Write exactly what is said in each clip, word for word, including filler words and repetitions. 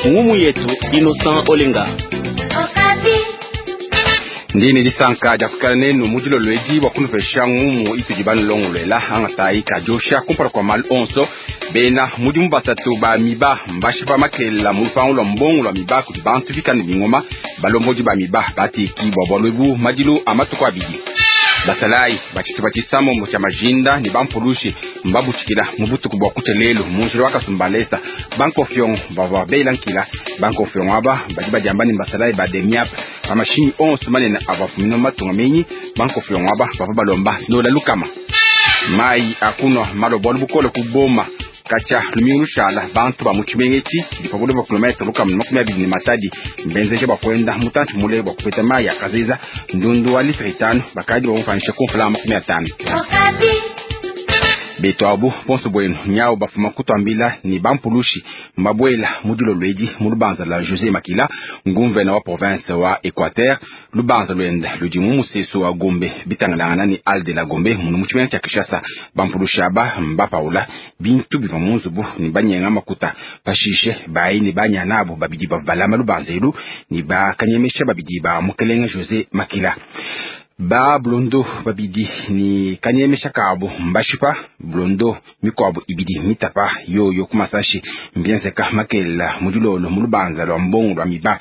Ngumu yetu Innocent Olenga. Ndi ne disanka dia kuikala nenu mu dilolo edi bua kunupesha ngumu itudi banulongoluela. Angatayi kadiosha kumpala kua malu onso, bena mudimu basatu ba miba mbashipa makelela mu lupangu lua mbongo lua miba kudi bantu bikale ne bingoma. Balombodi ba miba bateki bua bualu ebu madilu a matuku abidi. Basalayi ba tshitupa tshisamombo tshia majinda ne bampulushi mbabutshikila mu butuku bua kutshia lelu mu njila wa Kasumbalesa. Bankofiongo bavua bela nkila. Bankofiongo aba badi badiamba ne basalayi ba demiap pa mashinyi onso manene avua afumina mu matunga menyi. Bankofiongo aba bavua balomba dola lukama. Mayi a kunua malua bualu bukole ku Boma. Katshia lumingu lushala bantu ba mu tshimenga etshi tshidi pa bule bua kilometre lukama ne makumi abidi ne Matadi mbenzeje bua kuenda mutantshi mule bua kupeta mayi a kazeza. Ndundu wa litre itanu bakadi bamupanyisha ku mfranga makumi atanu. Betu abu bonso buenu nyau bafuma kutuambila ni bampulushi mbabuela mu dilolo edi mu lubanza lua José Makila, nguvena wa province wa Equateur. Lubanza luende ludi mu musesu wa Gombe bitangalangana ne Halle de la Gombe munu mu tshimenga tshia Kinshasa. Bampulushi aba mbapaula bintu bivua mu nzubu ne banyenga makuta. Pashishe bayi ne banyana abo babidi bavua balama lubanza elu ne bakanyemesha babidi ba mukelenge José Makila. Ba blondo babidi ni kanyemesha kabo mbashipa blondo mikuabo ibidi mitapa yoyo kumasashi mbienzeka makelela mu dilolo mu lubanza lua mbongo lua miba.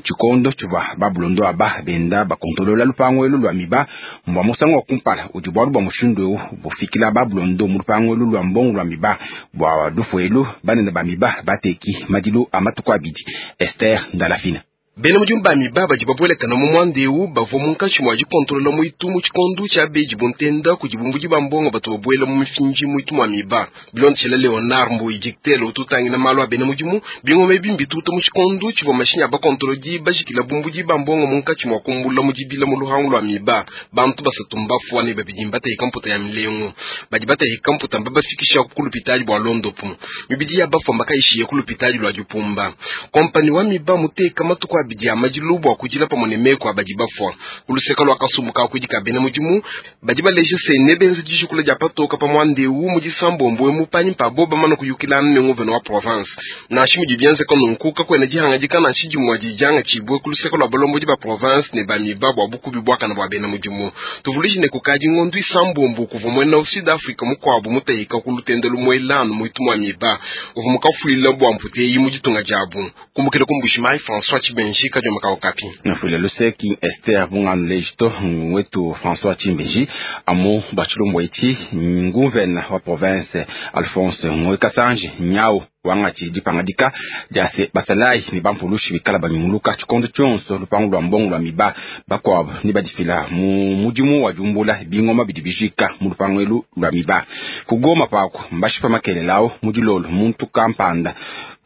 Tshikondo tshivua ba blondo aba benda bakontolola lupangu elu lua miba mbua musangu wa kumpala udi bualu bua mushindu eu bufikila ba blondo mu lupangu elu lua mbongo lua miba. Bua lufu elu banene ba miba bateki madilu a matuku abidi. Esther Ndalafina. Bena mudimu ba miba badi babuelekana mu muanda eu bavua munkatshi mua dikontolola muitu mu tshikondo tshia beji buntenda kudi bumbudi ba mbongo batu babuela mu mifinji muitu mua miba. Bilondeshela Leonard Mbuyi dictele ututangila malu a bena mudimu bingoma ebi mbituta mu tshikondo tshivua mashinyi a bakontolodi bajikila bumbudi ba mbongo munkatshi mua kumbula mu dibila mu luhangu lua miba. Bantu basatu mbafua ne babidi mbateka mputa ya milengu. Badi bateka mputa mbabafikisha ku lupitadi bua londopu. Mibidi ya bafua mbakaishiye ku lupitadi lua dipumba. Kompani wa miba muteka matuku abidi ya madilu bua kudila pamue ne meku abadi bafua. Uluseka lua kasumbu ka kudi ka bena mudimu badi baleja se ne benza dijukula dia patoka pa muanda eu mu disambombo emu panyi pa bo bamana kuyukilana ne nguvena wa province. Nansha mudi bienzeka nunku kakuena dihangadika nansha dimue dijanga tshibue ku luseka lua balombodi ba province ne ba miba bua bukubi buakana bua bena mudimu. Tuvuluije ne kukadi ngondu isambombo kuvua muena Sud Africa mukuabu muteka ku lutende lumuelanu muitu mua miba uvua mukafuila bua mputeyi mu ditunga diabu. Kumbukila ku Mbujimayi, François Tshibenji, Kadioma ka Okapi. Nafula luseki Esther Bungano Lejito wetu François Tshimbenji amu bachilombo echi nguvena wa province Alphonse Ngoyi Kasanji nyau wangachi dipangadika dia se basalayi ne bampulushi bikala banyunguluka tshikondo tshionso lupangu lua mbongo lua miba. Bakuabu ne badifila mu mudimu wa diumbula bingoma bidi bijika mu lupangu elu lua miba. Kugoma pako mbashipa makelelawo mu dilolo muntu kampanda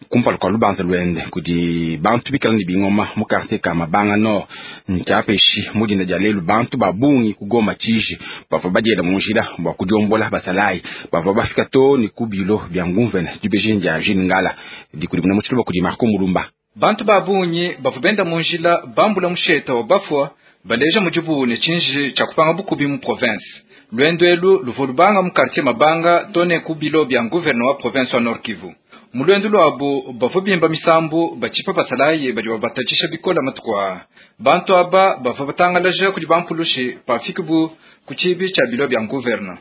kumpala kua lubanza luende kudi bantu bikala ne bingoma mu quartier ka Mabanga Nord. Ntshiapeshi mu dinda dia lelu bantu ba bungi kugoma tshiji bavua badiela mu njila bua kudiombola basalayi bavua bafika to ne ku bilo bia nguvena dibeji dia Jean Ngala dikudimuna mu tshiluba kudi Marco Mulumba. Bantu ba bungi bavua benda mu njila bambula musheta wa bafua baleja mudibu ne tshinji tshia kupanga bukubi mu province. Luendu elu luvua lubanga mu quartier Mabanga to ne ku bilo bia nguvena wa province wa Nord Kivu. Mu luendu luabu bavua bimba misambu batshipa basalayi badi babatatshisha bikola matuku aa. Bantu aba bavua batangalaja kudi bampulushi pafikibu ku tshibi tshia bilo bia nguvena.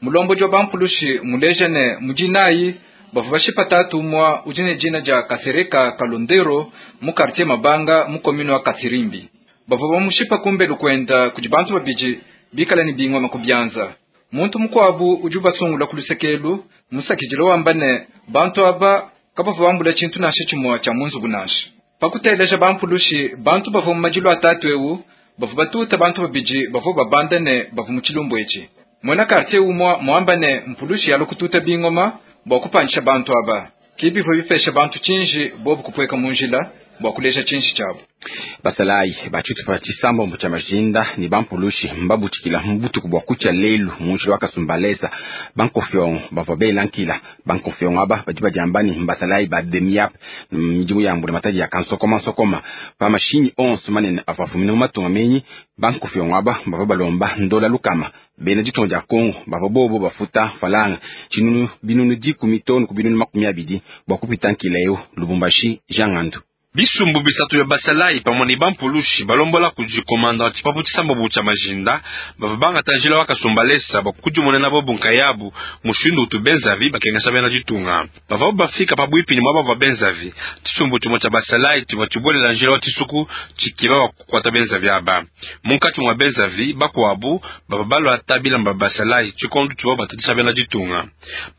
Mulombodi wa bampulushi muleja ne mudinayi bavua bashipa tatu umua udi ne dina dia Kasereka Kalondero mu quartier Mabanga mu commune wa Kasirimbi. Bavua bamushipa kumbelu kuenda kudi bantu babidi bikala ne bingoma ku bianza. Muntu mukuabu udi ubasungula ku lusekelu musakidilo wamba ne bantu aba kabavua bambula tshintu nansha tshimue tshia mu nzubu nansha. Pakuteleja bampulushi bantu bavua mu madilu atatu eu bavua batuta bantu babidi bavua babanda ne bavua mu tshilumbu etshi. Muena quartier umua muamba ne mpulushi yalua kututa bingoma bua kupandisha bantu aba. Ki bivua bipesha bantu tshinji bobu kupueka mu njila bua kuleja tshinji tshiabu. Basalayi ba tshitupa tshisambombo tshia majinda ne bampulushi mbabutikila mu butuku bua kutshia lelu mu njila wa Kasumbalesa. Bankofiongo bavua bela nkila. Bankofiongo aba badi badiamba ne mbasalayi ba DEMIAP, midimu ya mbula matadi ya kansokoma nsokoma pa mashinyi onso manene avua afumina mu matunga menyi. Bankofiongo aba bavua balomba ndola lukama. Bena ditunga dia Kongo bavua bobo bafuta falanga tshinunu binunu dikumi tonu ku binunu makumi abidi bua kupita nkila eu. Lubumbashi, Jean Ngandu. Bisumbu bisatu ya basalayi pamwe ne bampulushi balombola kudi komanda tshipapu tshisambobo tshia majinda bavua bangata njila wa Kasumbalesa bakudimunena bobu nkayabu mushindu utu benzavi bakengesha bena ditunga. Bavua bafika pabuipi ne muaba bavua benzavi tshisumbu tshimue tshia basalayi tshivua tshibuelela njila wa tshisuku tshikiba bakukuata benzavi aba. Munkatshi mua benzavi bakuabu bavua baluata bilamba basalayi tshikondu tshivua batatisha bena ditunga.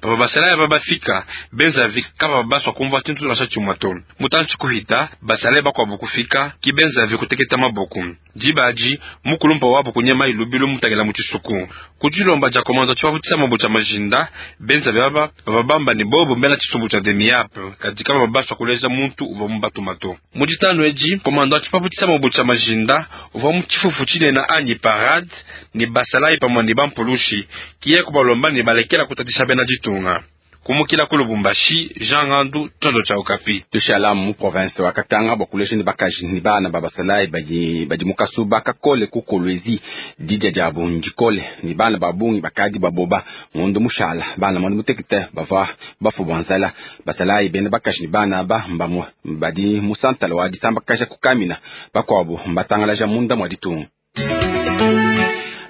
Bavua basalayi aba bafika benzavi kabavua basua kumvua tshintu nansha tshimue to. Mutantshi kuhita basalayi bakuabu kufika kibenzavi kuteketa maboko dibaji mukulumpa wabu kunyema ilubilu mutangila mu tshisuku kudilomba dia komanda tshipapu tshisambo tshia majinda benzavi aba bava bamba ne bobo mbena tshisumbu tshia DEMIAP kadi kabava basua kuleja muntu uvua mubatumato. Mu ditanu edi komanda tshipapu tshisambo tshia majinda uvua mu tshifufu tshinene anyi parade ne basalayi pamue ne bampulushi kiye kubalomba ne balekela kutatisha bena ditunga. Kumukila ku Lubumbashi, Jean Ngandu, Tondo tshia Okapi. Tushala mu province wa Katanga bakulesha ne bakaji ne bana ba basalayi badi badi mu kasuba kakole ku Kolwezi didia diabu ndikole ne bana ba bungi bakadi baboba ngondo mushala bana mwanda mutekete bava bafu bua nzala. Basalayi bena bakaji ne bana aba mbamue badi mu santala wa disambakaja kukamina bakuabu mbatangalaja munda mua ditunga.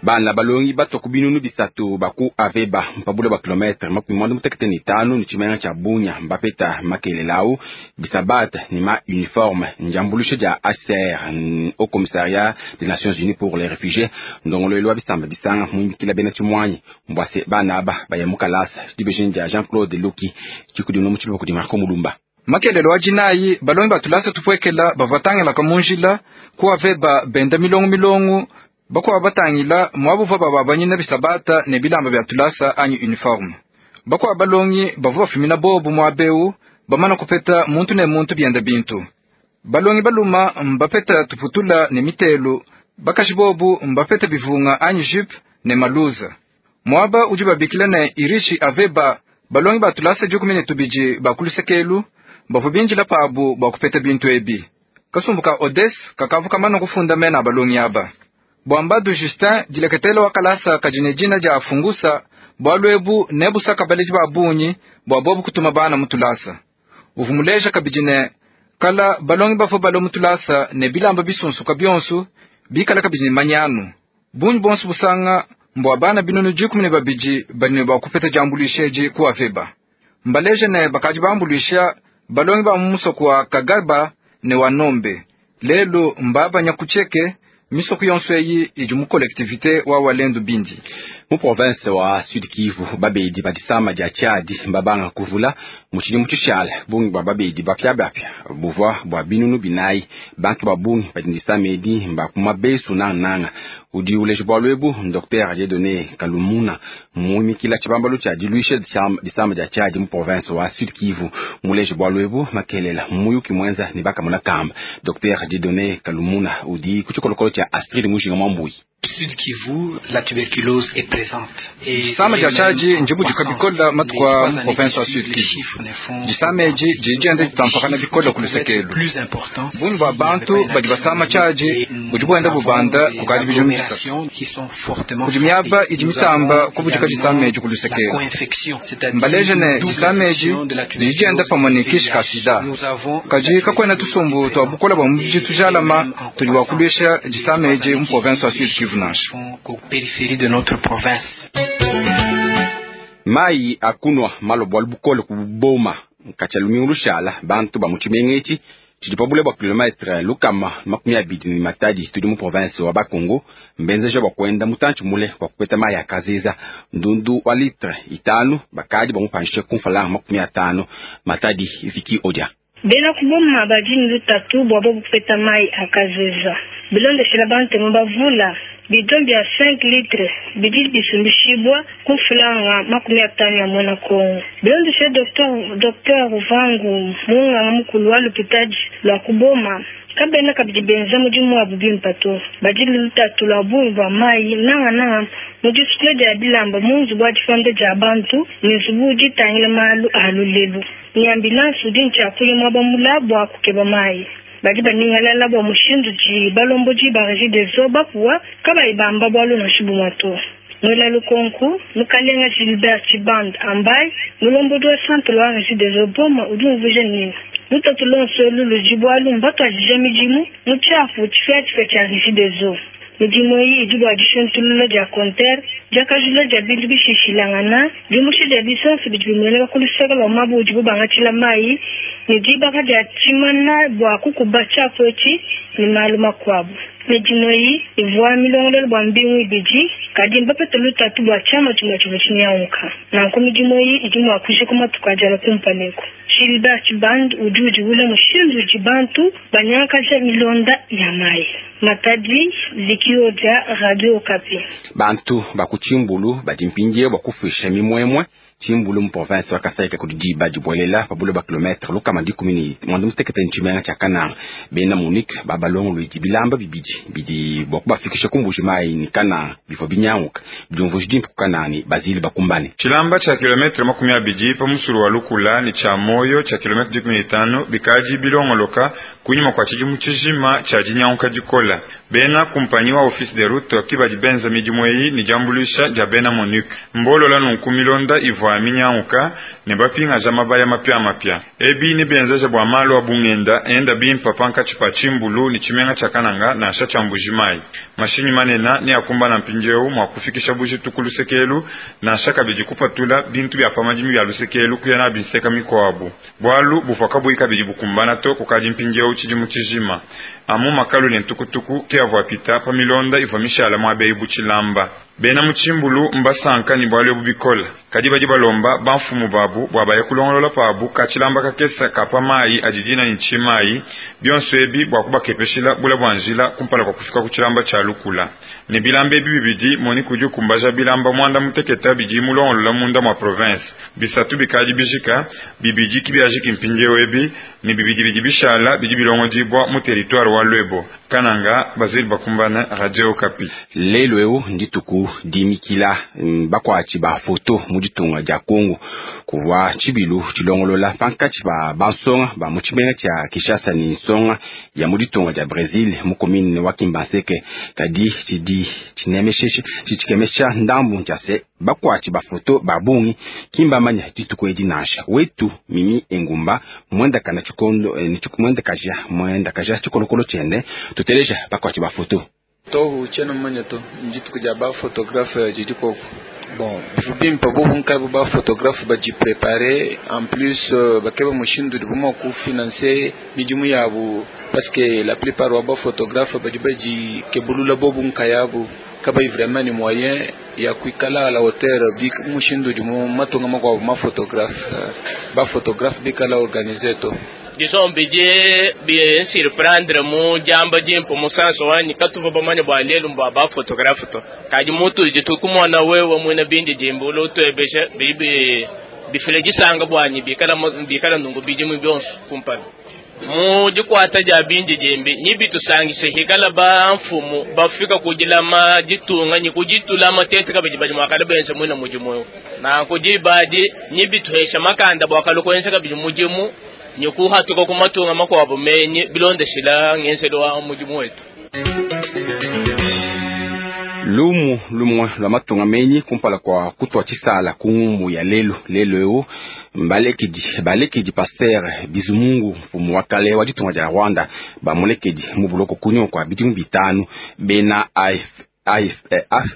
Bana balongi batwa ku binunu bisatu baku aveba mpabula ba kilometre makumi mwanda mutekete ne tanu ne tshimenga tshia Bunya mbapeta makelelawu bisabata ne ma uniforme ndiambulusha dia H C R au commissariat des Nations Unies pour les réfugiés ndongolwelo wa bisamba bisanga muimbikila bena tshimwanyi mbwase bana aba baya mu kalasa dibejeni dia Jean-Claude Luki tshikudino mu tshiluba kudi Marco Mulumba. Makelelo wa jinayi balongi batulasa tupwekela bavatangela munjila ku aveba benda milongo milongo bakuwa batangila mwabuva bababanyina bisabata ne bilamba bya tulasa anyi uniforme. Bakuwa balongi bavua bafumina bobu mwabeu bamana kupeta muntu ne muntu byenda bintu. Balongi baluma mbapeta tuputula ne mitelu bakashi bobu mbapeta bivunga anyi jupe ne maluza. Mwaba udi babikila ne irishi aveba balongi batulasa dikumi ne tubidi bakulusekelu bavua binjila pabu bakupeta bintu ebi. Kasumbuka Odes kakavuka mana kufunda mena balongi aba. Bwambadu Justin dileketelo wakalasa kajine jina ja fungusa bwalwebu nebusaka baleji babunyi bwa bobu kutuma bana mutulasa. Uvumuleja kabijine kala balongi bafo balo mutulasa ne bilamba bisunsuka byonsu bikala kabijine manyanu. Bunyi bonsu busanga mbwa bana binunu dikumi ne babidi bani ba kupeta jambulisheji ku aveba. Mbaleje ne bakaji bambulisha balongi ba musoko wa Kagaba ne wa Nombe. Lelo mbaba nyakucheke misoko yonso eyi idi mu collectivité wa Walendu Bindi. Mu province wa Sud Kivu babedi badisama dia Tchad mbabanga kuvula mu tshidimu tshishala bungi bwa babedi bapya bapya buvua bua binunu binayi bantu ba bungi badi disama edi mbakuma besu nananga udi uleja bualu ebu Docteur Dieudonné Kalumuna muimikila tshibambalu tshia diluisha disama dia Tchad mu province wa Sud Kivu muleja bualu ebu makelela muyuki mwenza ne bakamona kamba. Docteur Dieudonné Kalumuna udi ku tshikolokolo tshia Astrid Mujinga Mwambui. Sud Kivu, la tuberculose est présente. Disama dia Tchad njibudika bikola matuku mu province wa Sud Kivu. Disama edi didi ditampakana bikola ku lusekelu. Bungi bwa bantu badi basama Tchad budi buenda bubanda kukadi bidimu bisatu. Kudi miaba idi mitamba kubudika disama edi ku lusekelu. Mbaleje ne disama edi didi dienda pamue ne kishi ka sida. Kadi kakuena tusumbu tua bukola bua mubidi tujalama tudi bua kuluisha disama edi mu province wa Sud Kivu. Périphérie de notre province. Mai akunwa malo bwa bukole kuboma kacha lumingu lushala bantu ba muchimengechi tshidi bwa kilometre lukama makumi abidi ni matadi tudi mu province wa Bakongo mbenzeja bwa kwenda mutantshi mule bwa kupeta mai akaziza ndundu wa litre itanu bakadi bamupanishe kumfala makumi atano matadi ifiki odia. Bena kuboma badi ne lutatu bua bobu kupeta mayi a kazeza. Bilondeshela bantemu bavula bidon bia cinq litres bidi bisumbishibwa ku franga makumi atano ya mwana Kongo. Bilondeshela Docteur Docteur Vangu munganga mukulu wa lupitadi lwa kuboma kabena kabidi benza mudimu wabu bimpe to. Badi lutatu lwa bungi bwa mayi nangananga mu disukula dia bilamba mu nzubu wa difanda dia bantu ne nzubu ditangila malu a lulelu. Ni ambulance udi ntshiakuya muaba mula bua kukeba mayi. Badi baningalala bua mushindu di balombodi ba Regideso bapuwa kabayi bamba bualu nansha bumue to. Mwela lukonku mukalenga Gilbert Chiband ambaye mulombodi wa centre wa Regideso Boma udi umvuija nini. Lutatu lonso ludi bualu mbatuadija midimu mu tshiapu tshipiatshipia tshia Regideso. Midimu eyi idi bua dishintulula dia compteur, diakajula dia bintu bishishilangana, diumusha dia bisansi bidi bimueneka ku luseke lua mabu udibu bangatshila mayi ne dibaka dia tshimana bua kukuba tshiapu etshi ne malu makuabu. Midimu eyi ivua milongololo bua mbingu ibidi, kadi mbapete lutatu bua tshiama tshimue tshivua tshinyanguka. Nanku midimu eyi idi mua kujika matuku adi alua kumpala eku. Gilbert Chiband udi udiwula mushindu udi bantu banyangakaja milonda ya mayi. Matadi, Likiodia, Radio Okapi. Bantu bakuchimbulu badi mpindie bua kufisha mimwemwe Tshimbulu mu province wa Kasai kudi diba dibuelela pa buloba kilometre lukama dikumi ne mwanda mutekete ntshimenga tshia Kananga. Bena Monique babalongolodi bilamba bibidi bidi bua kubafikisha ku Mbuji Mayi ne Kananga bivua binyanguka bidiumvuija dimpe ku Kananga ne Bazili bakumbane. Tshilamba tshia kilometre makumi abidi pa musulu wa Lukula ne tshia moyo tshia kilometre dikumi ne tano bikadi bilongoloka kunyima kwa tshidimu tshijima tshia dinyanguka dikola. Bena kumpanyi wa office de route kibadi benza midimu eyi ne diambuluisha dia bena Monique. Mbolola nunku milonda ivua minyanguka ne bapingaja mabaya mapya mapya. Ebi ne benzeja bua malu a bungenda enda bimpa pankatshi pa Tshimbulu ne tshimenga tshia Kananga nansha tshia Mbuji Mayi. Mashinyi manene ne akumbana mpindieu mua kufikisha bujitu ku lusekelu nansha kabidi kupatula bintu bia pamadimi bia lusekelu kuya na binseka mikuabu. Bualu buvua kabuyi kabidi bukumbana to kukadi mpindieu tshidimu tshijima. Amu makalu ne ntukutuku ke avua pita pa milonda ivua mishala muabeyi butshilamba. Bena mu Tshimbulu mbasanka ne bualu ebu bikola. Kadi badi balomba bamfumu babu bua baye kulongolola pabu ka tshilamba kakesa kapa mayi adi dina ne tshimayi bionso ebi bua kubakepeshila bula bua njila kumpala kwa kufika ku tshilamba tshia Lukula. Ne bilamba ebi bibidi Monique udi ukumbaja bilamba mwanda muteketa bidi mulongolola munda mwa province. Bisatu bikadi bijika bibidi kibiajiki mpindieu ebi ne bibidi bidi bishala bidi bilongodibwa mu territoire wa Lwebo. Kananga Bazili bakumbana Radio Okapi. Lelo eu ndituku dimikila bakwachi ba foto mu ditunga dia Kongo kuwa tshibilu tshilongolola pankatshi ba bansonga ba mu tshimenga tshia Kinshasa ne nsonga ya mu ditunga dia Brazil mu commune wa Kimbanseke. Kadi tshidi tshinemeshe tshikemesha ndambu ntshia se bakwachi ba foto ba bungi kimbamanya dituku edi nansha wetu Mimi Engumba mwenda kana tshikondo eh, mwenda kaja mwenda kaja tshikolokolo tshiende tuteleja bakwachi ba foto tohu tshiena mumanya to ndituku dia ba photographe didi koko. Bon, bimpa bobu nkabu ba photographe badi préparer en plus bakeba mushindu di buma ku financer midimu yabu parce que la plupart wa ba photographe badi badi kebulula bobu nkayabu kabai vraiment ni moyen ya kuikala à la hauteur bi mushindu di mu matunga makwabu ma photographe ba photographe bikala organiser to. Disons bidi bien surprendre mu jamba jimpo musanso wanyi katuva bamanya bwa lelu mbwa ba photographe to kadi mutu jitu kumona wewe mwina bindi jimbo lo tuebesha bibi bifile jisanga bwanyi bikala bikala nungu bijimu byonso kumpala mu jikwata ja bindi jimbi nyibi tusangise hikala ba mfumu bafika kujilama jitunga nyi kujitulama tete kabidi badi mwakala benza mwina mujimu na kujibadi nyibi tuhesha makanda bwakalo kwenza kabidi mujimu nyukuhatuka kumatunga makwabo menye bilondeshela ngenzelo wa mujimu wetu. Lumu lumwe lwa matunga menyi kumpala kwa kutwa tshisala ku ya lelo lelo eu balekedi balekedi pasteur Bizimungu mfumu wa kale wa ditunga dia Rwanda bamulekedi mu buloko kunyuma kwa bidimu bitanu bena A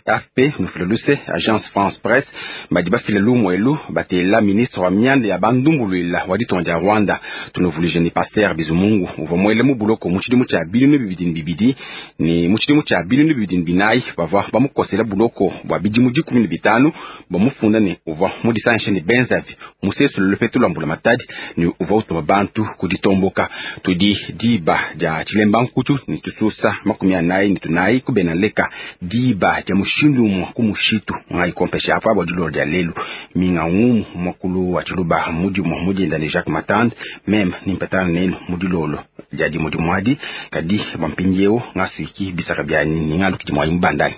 F P nufile luse Agence France Presse badi bafile lumwelu batela ministre wa mianda ya bandumbulwila wa ditonga dia Rwanda. Tunuvulije ni Pasteur Bizimungu uvua muele mu buloko mu tshidimu tshia binunu bibidi ne bibidi ni mu tshidimu tshia binunu bibidi ne binayi bavua bamukosela buloko bua bidimu dikumi ne bitanu bamufunda ne uvua mudisangishe ne benzavi musesu lupetu lwa mbulamatadi ne uvua utuma bantu kuditomboka. Tudi diba dia tshilemba nkutu ne tususa makumi anayi ne tunayi kubena leka diba dia mushindu umwe ku mushitu ngai kompesha apa bua dilolo dia lelu minga ngumu mwakulu wa tshiluba mudimu mudinda ne Jacques Matande meme nimpetana nenu mudilolo dia dimudi mwadi kadi bampindiewu ngasuiki bisaka byanyi ningalukidi mwayi mubandani.